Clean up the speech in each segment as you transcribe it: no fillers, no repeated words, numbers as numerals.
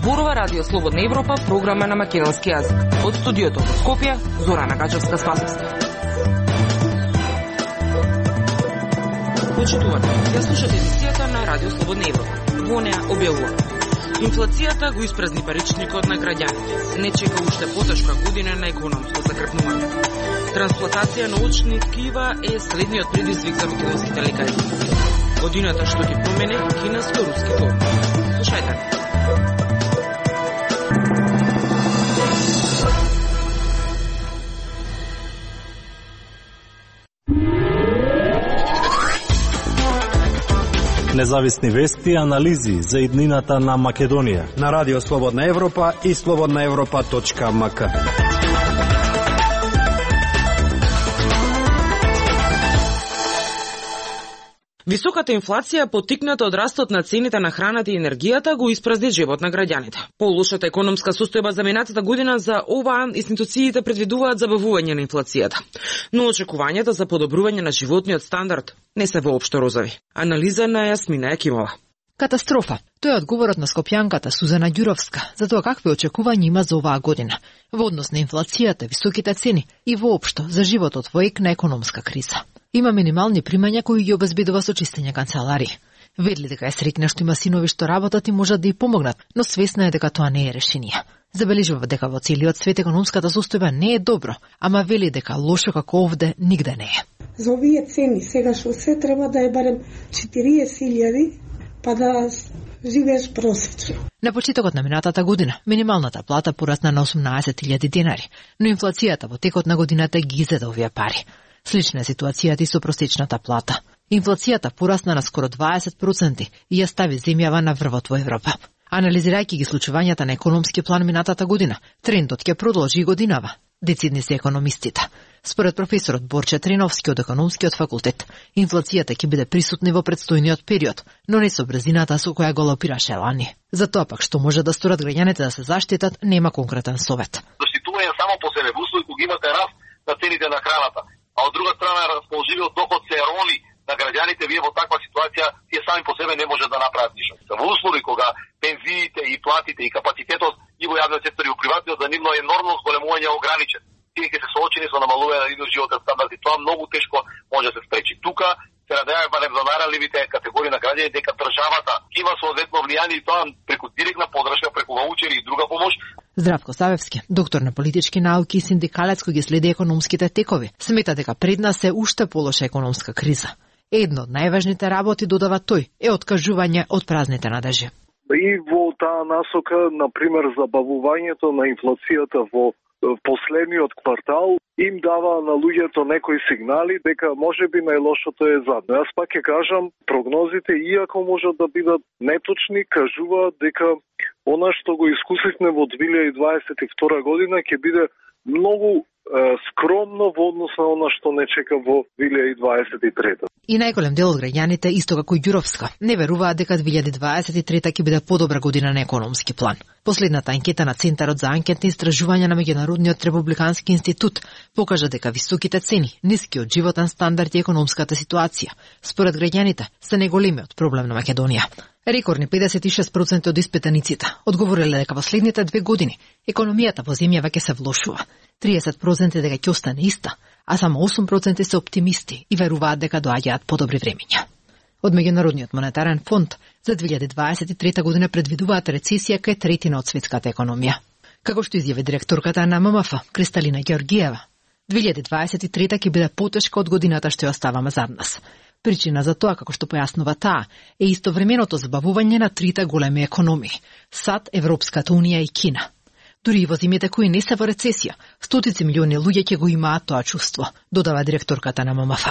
Зборува Радио Слободна Европа, програма на македонски јазик. Од студиото во Скопје, Зорана Гаџевска-Спасовска. Почитувате, ја слушате емисијата на Радио Слободна Европа. Во неа објавува: инфлацијата го испразни паричникот на граѓаните. Не чека уште потешка година на економско закрепнување. Трансплантација на очни ткива е следниот предизвик за македонските лекари. Годината што ќе промене кинеско-руски односи. Слушајте. Независни вести и анализи за иднината на Македонија на Радио Слободна Европа и slobodnaevropa.mk. Високата инфлација, поттикната од растот на цените на храната и енергијата, го испразни джебот на граѓаните. Полошата економска состојба за минатата година за оваа институциите предвидуваат забавување на инфлацијата. Но очекувањата за подобрување на животниот стандард не се воопшто розови. Анализа на Јасмина Јакимова. Катастрофа. Тоа е одговорот на скопјанката Сузана Ѓуровска за тоа какви очекувања има за оваа година во однос на инфлацијата, високите цени и воопшто за животот во ек на економска криза. Има минимални примања кои ги обезбедува со чистење канцеларии. Ведли дека е среќна што има синови што работат и можат да ја помогнат, но свесна е дека тоа не е решение. Забележува дека во целиот свет економската состојба не е добро, ама вели дека лошо како овде нигде не е. За овие цени сега што се треба да е барем 40.000 па да живееш просечно. На почетокот на минатата година минималната плата порасна на 18.000 денари, но инфлацијата во текот на годината ги изеде овие пари. Слична е ситуацијата и со просечната плата. Инфлацијата порасна на скоро 20% и ја стави земјава на врвот во Европа. Анализирајќи ги случувањата на економски план минатата година, трендот ќе продолжи и годинава. Децидни се економистите. Според професорот Борче Триновски од економскиот факултет, инфлацијата ќе биде присутна во предстојниот период, но не со брзината со која галопираше лани. За тоа пак што може да сторат граѓаните да се заштитат, нема конкретен совет. Заштитување само по себе во услови кога имате раст на цените на храната, а од друга страна расположивиот доход се роли на граѓаните, вие во таква ситуација тие сами по себе не може да направат ништо. Во услови кога пензиите и платите и капацитетот и во јавниот сектор и во приватниот за нивно енормно зголемување е ограничен. Тие ќе се соочени со намалување на нивниот животен стандард и тоа многу тешко може да се спречи. Тука се надеваме барем за најранливите категории на граѓани дека државата има соодветно влијание и тоа преку директна подршка, преку ваучери и друга помош. Здравко Савевски, доктор на политички науки и синдикалец кој ги следи економските текови, смета дека пред нас е уште полоша економска криза. Едно од најважните работи, додава тој, е откажување од празните надежи. И во таа насока, например, забавувањето на инфлацијата во последниот квартал им дава на луѓето некои сигнали дека можеби најлошото е задно. Јас пак ќе кажам, прогнозите, иако можат да бидат неточни, кажуваат дека она што го искусивме во 2022 година ќе биде многу скромно во однос на она што не чека во 2023. И најголем дел од граѓаните, исто како и Ѓуровска, не веруваат дека 2023 ќе биде подобра година на економски план. Последната анкета на Центарот за анкетни истражувања на Меѓународниот републикански институт покажа дека високите цени, нискиот животен стандард и економската ситуација, според граѓаните, се најголемиот проблем на Македонија. Рекордни 56% од испитаниците одговориле дека во следните 2 години економијата во земјава ќе се влошува. 30% дека ќе остане иста, а само 8% се оптимисти и веруваат дека доаѓаат подобри времиња. Од Меѓународниот монетарен фонд за 2023 година предвидуваат рецесија кај третина од светската економија. Како што изјави директорката на ММФ, Кристалина Ѓеоргиева, 2023 ќе биде потешка од годината што ја оставаме зад нас. Причина за тоа, како што појаснува таа, е истовременото забавување на трите големи економии – САД, Европската унија и Кина. Дури и во земјите кои не се во рецесија, стотици милиони луѓе ќе го имаат тоа чувство, додава директорката на ММФ.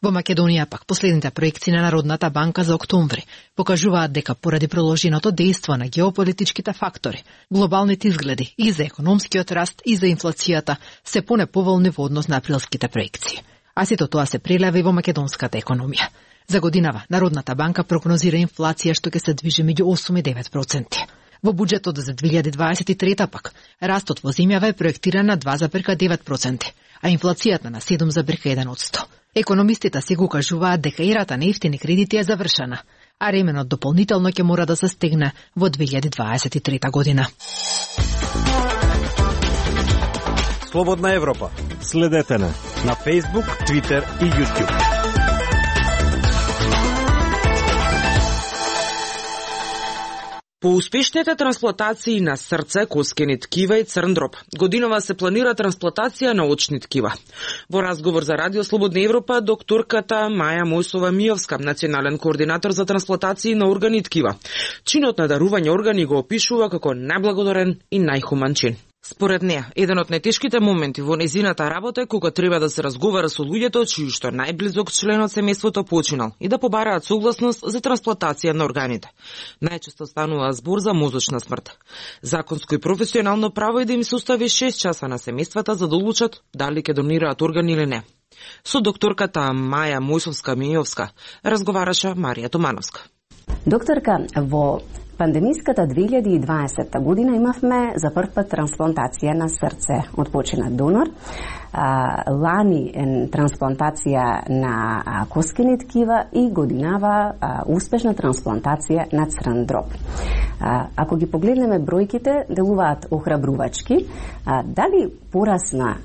Во Македонија пак последните проекции на Народната банка за октомври покажуваат дека поради продолженото дејство на геополитичките фактори, глобалните изгледи и за економскиот раст и за инфлацијата се понеповолни во однос на априлските проекции. А сето тоа се прелева и во македонската економија. За годинава Народната банка прогнозира инфлација што ќе се движи меѓу 8 и 9%. Во буџетот за 2023 пак, растот во земјава е проектиран на 2,9%, а инфлацијата на 7,1%. Економистите се го кажуваат дека ерата на ефтини кредити е завршена, а ременот дополнително ќе мора да се стегне во 2023 година. Слободна Европа. Следете на Facebook, Twitter и YouTube. По успешните трансплантации на срце, коскени ткива и црн дроб, годинова се планира трансплантација на очни ткива. Во разговор за Радио Слободна Европа, докторката Маја Мојсова-Мијовска, национален координатор за трансплантации на органи и ткива, чинот на дарување органи го опишува како најблагодарен и најхуман чин. Според неа, еден од најтешките моменти во нејзината работа е кога треба да се разговара со луѓето чиј што најблизок член од семејството починал и да побараат согласност за трансплантација на органите. Најчесто станува збор за мозочна смрт. Законско и професионално право е да им се остави 6 часа на семејствата за да одлучат дали ќе донираат органи или не. Со докторката Маја Мојсовска-Мијовска разговараше Марија Томановска. Докторка, во пандемиската 2020 година имавме за прв пат трансплантација на срце од починат донор. Лани трансплантација на коскени ткива и годинава успешна трансплантација на црн дроб. Ако ги погледнеме бројките, делуваат охрабрувачки. Дали порасна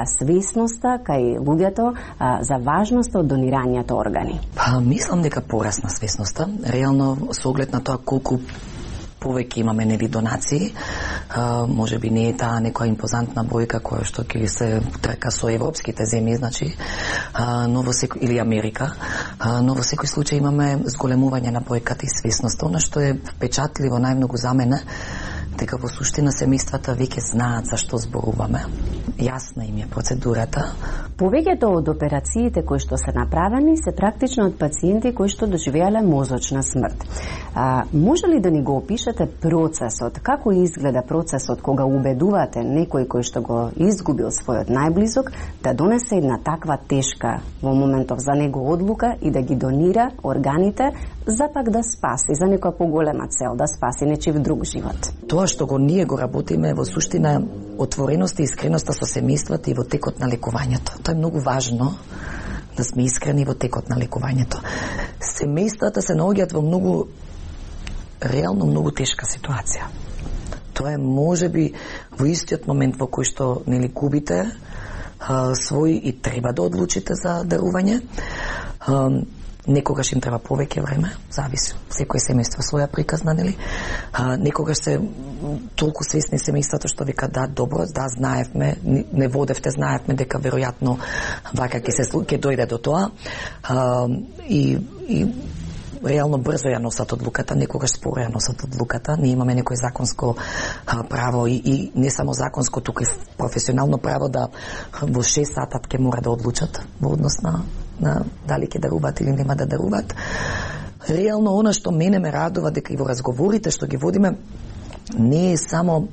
свесноста кај луѓето за важноста од донирањето органи? Мислам дека порасна свесноста. Реално, со оглед на тоа колку повеќе имаме нели донации, може би не е таа некоја импозантна бројка која што ќе се трка со европските земји, значи, но во секој или Америка, но во секој случај имаме зголемување на бројката и свесноста. Она што е впечатливо најмногу за мене, дека во суштина семејствата веќе знаат за што зборуваме. Јасна им е процедурата. Повеќето од операциите кои што се направени се практично од пациенти кои што доживеале мозочна смрт. Може ли да ни го опишете процесот? Како изгледа процесот кога убедувате некој кој што го изгубил својот најблизок да донесе една таква тешка во моментов за него одлука и да ги донира органите за пак да спаси, за некоја поголема цел, да спаси нечив друг живот? Тоа што ние го работиме во суштина отвореноста и искреноста со семејствата и во текот на лекувањето. Тоа е многу важно, да сме искрени во текот на лекувањето. Семејствата се наоѓаат во многу, реално многу тешка ситуација. Тоа е можеби во истиот момент во кој што нели губите свој и треба да одлучите за дарување. Некогаш им треба повеќе време, зависи. Секој семејство своја приказна, нели? Некогаш се толку свесни семејството што вика да, добро, да, знаевме, не водевте, знаевме дека веројатно вака ќе дојде до тоа. И реално брзо ја носат одлуката, некогаш споро ја носат одлуката. Ние имаме некој законско право и не само законско, туку и професионално право да во 6 сата ќе мора да одлучат во однос на дали ќе даруваат или нема да даруваат. Реално она што мене ме радува дека и во разговорите што ги водиме не е само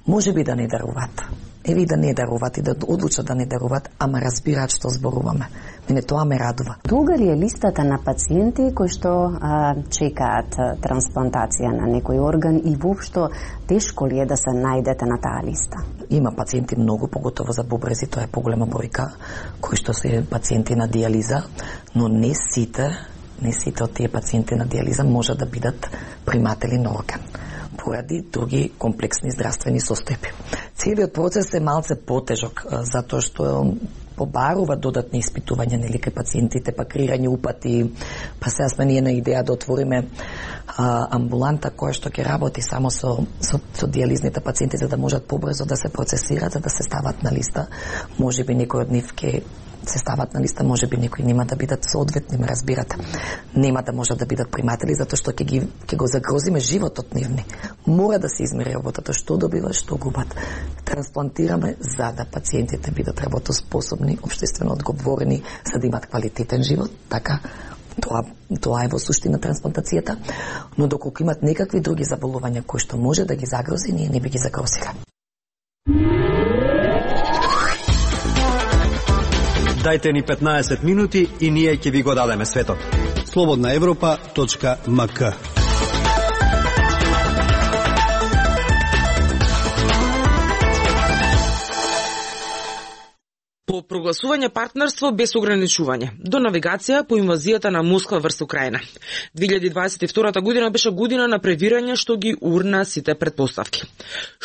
можеби да не даруваат. Еви да не даруваат и да одлучат да не даруваат, ама разбираат што зборуваме. Мене тоа ме радува. Долга ли е листата на пациенти кои што чекаат трансплантација на некој орган и воопшто тешко ли е да се најдете на таа листа? Има пациенти многу, поготово за бубрези, тоа е поголема бројка, кои што се пациенти на диализа, но не сите од тие пациенти на диализа можат да бидат приматели на орган поради други комплексни здравствени состојби. Целиот процес е малце потежок, затоа што побарува додатни испитувања нели кај пациентите, па креирање упати, па сега сме ние на идеја да отвориме амбуланта која што ќе работи само со диализните пациенти за да можат побрзо да се процесираат, за да се стават на листа. Можеби некој од нив ќе се стават на листа, можеби некои нема да бидат соодветни, ме разбирате. Нема да можат да бидат приматели затоа што ќе го загрозиме животот нивни. Мора да се измери работата, што добиват, што губат. Трансплантираме за да пациентите бидат работоспособни, општествено одговорни, за да имат квалитетен живот, така. Тоа е во суштина трансплантацијата, но доколку имат некакви други заболувања кои што може да ги загрози, ние не би ги загрозиле. Дајте ни 15 минути и ние ќе ви го дадеме светот. slobodnaevropa.mk. По прогласување партнерство без ограничување, до навигација по инвазијата на Москва врз Украина. 2022 година беше година на превирање што ги урна сите предпоставки.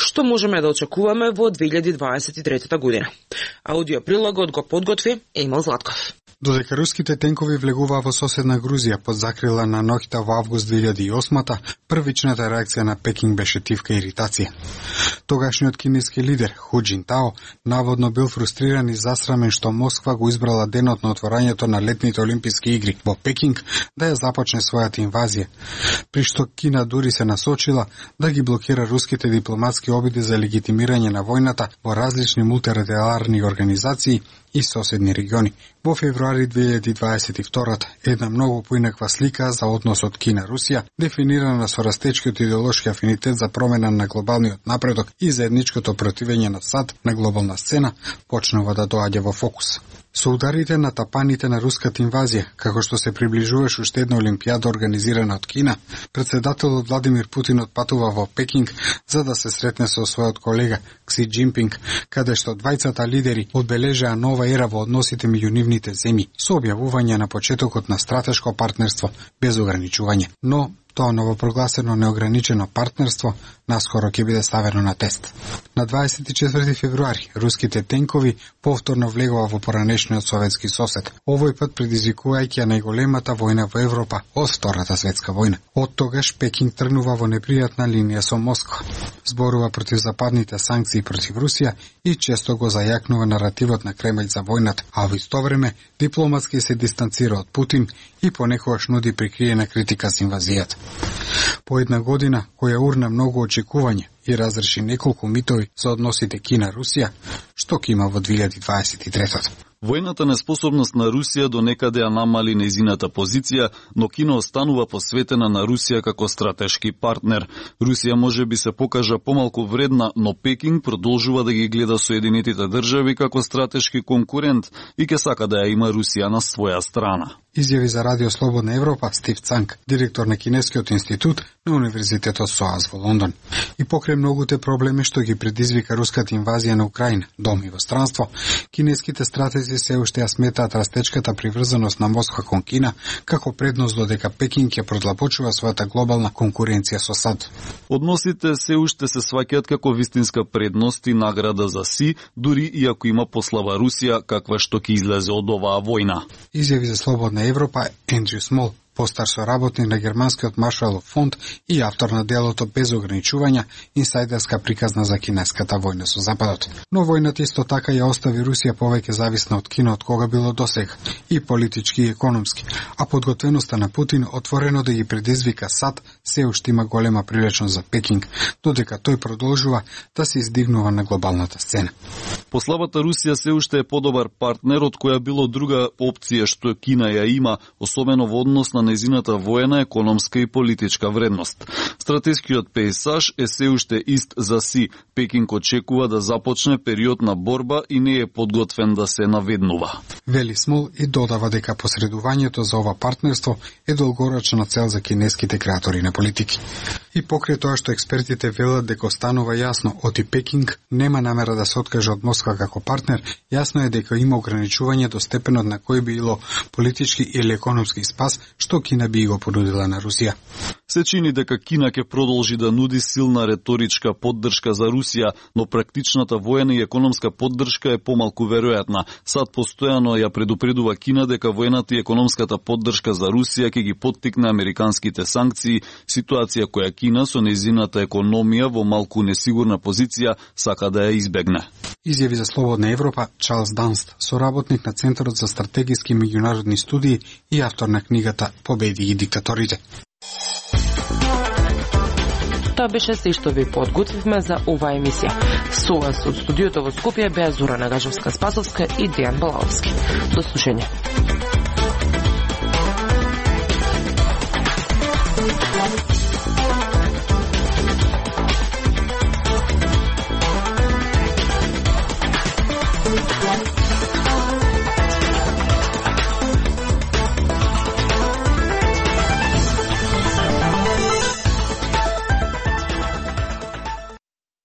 Што можеме да очекуваме во 2023 година? Аудиоприлогот го подготви Емил Златков. Додека руските тенкови влегуваа во соседна Грузија под закрила на ноќта во август 2008-та, првичната реакција на Пекинг беше тивка иритација. Тогашниот кинески лидер Ху Џинтао наводно бил фрустриран и засрамен што Москва го избрала денот на отворањето на летните олимписки игри во Пекинг да ја започне својата инвазија, при што Кина дури се насочила да ги блокира руските дипломатски обиди за легитимирање на војната во различни мултилатерални организации и соседни региони. Во февруари 2022 една многу поинаква слика за односот Кина-Русија, дефинирана со растечкиот идеолошки афинитет за промена на глобалниот напредок и заедничкото противење на САД на глобална сцена, почнува да доаѓа во фокус. Со ударите на тапаните на руската инвазија, како што се приближуваше уште една олимпијада организирана од Кина, председателот Владимир Путин отпатува во Пекинг за да се сретне со својот колега Кси Џинпинг, каде што двајцата лидери одбележаа нова ера во односите меѓу нивните земји, со објавување на почетокот на стратешко партнерство без ограничување. Но тоа новопрогласено неограничено партнерство наскоро ќе биде ставено на тест. На 24 февруари руските тенкови повторно влегува во поранешниот советски сосед, овој пат предизвикувајќи најголемата војна во Европа од Втората светска војна. Од тогаш Пекинг тргнува во непријатна линија со Москва. Зборува против западните санкции против Русија и често го зајакнува наративот на Кремљ за војната, а во исто време дипломатски се дистанцира од Путин и понекогаш нуди прикриена критика с инвазијата. По една година која урна многу очекување и разреши неколку митови за односите Кина-Русија, што ќе има во 2023. Војната неспособност на Русија до некаде ја намали нејзината позиција, но Кина останува посветена на Русија како стратешки партнер. Русија може би се покажа помалку вредна, но Пекинг продолжува да ги гледа Соединетите држави како стратешки конкурент и ќе сака да ја има Русија на своја страна. Изјави за Радио Слободна Европа Стив Цанг, директор на Кинескиот институт на Универзитетот СОАС во Лондон. И покрај многуте проблеми што ги предизвика руската инвазија на Украина, дом и во странство, кинеските стратези се уште ја сметаат растечката приврзаност на Москва кон Кина како предност додека Пекинг ќе продлабочува својата глобална конкуренција со САД. Односите се уште се сваќаат како вистинска предност и награда за Си, дури и ако има послаба Русија каква што ќе излезе од оваа војна. Изјави за Слободна Европа Ендрю Смол, постар соработник на Германскиот Маршалов фонд и автор на делото Без ограничувања, инсайдерска приказна за кинеската војна со Западот. Но војната исто така ја остави Русија повеќе зависна од Кина од кога било досега, и политички и економски, а подготвеноста на Путин отворено да ги предизвика САД се уште има голема привлечност за Пекинг, додека тој продолжува да се издигнува на глобалната сцена. Послабата Русија се уште е подобар партнер од која било друга опција што Кина ја има, особено во однос на нејзината воена, економска и политичка вредност. Стратешкиот пејзаж е се уште ист за Си. Пекинг очекува да започне период на борба и не е подготвен да се наведнува. Вели Смол и додава дека посредувањето за ова партнерство е долгорочна цел за кинеските креатори на политики. И покрај тоа што експертите велат дека останува јасно, оти Пекинг нема намера да се откаже од Москва како партнер, јасно е дека има ограничување до степенот на кој било политички или економски спас што Кина би го понудила на Русија. Се чини дека Кина ќе продолжи да нуди силна реторичка поддршка за Русија, но практичната воена и економска поддршка е помалку веројатна. САД постојано ја предупредува Кина дека воената и економската поддршка за Русија ќе ги поттикне американските санкции, ситуација која Кина со нејзината економија во малку несигурна позиција сака да ја избегне. Изјави за Слободна Европа Чарлс Данст, соработник на Центарот за стратегиски меѓународни студии и автор на книгата Победи и диктаторите. Тоа беше се што ви подготвивме за оваа емисија. Со вас од студиото во Скопје беа Зора Нагажовска-Спасовска и Дејан Балаовски. До слушање.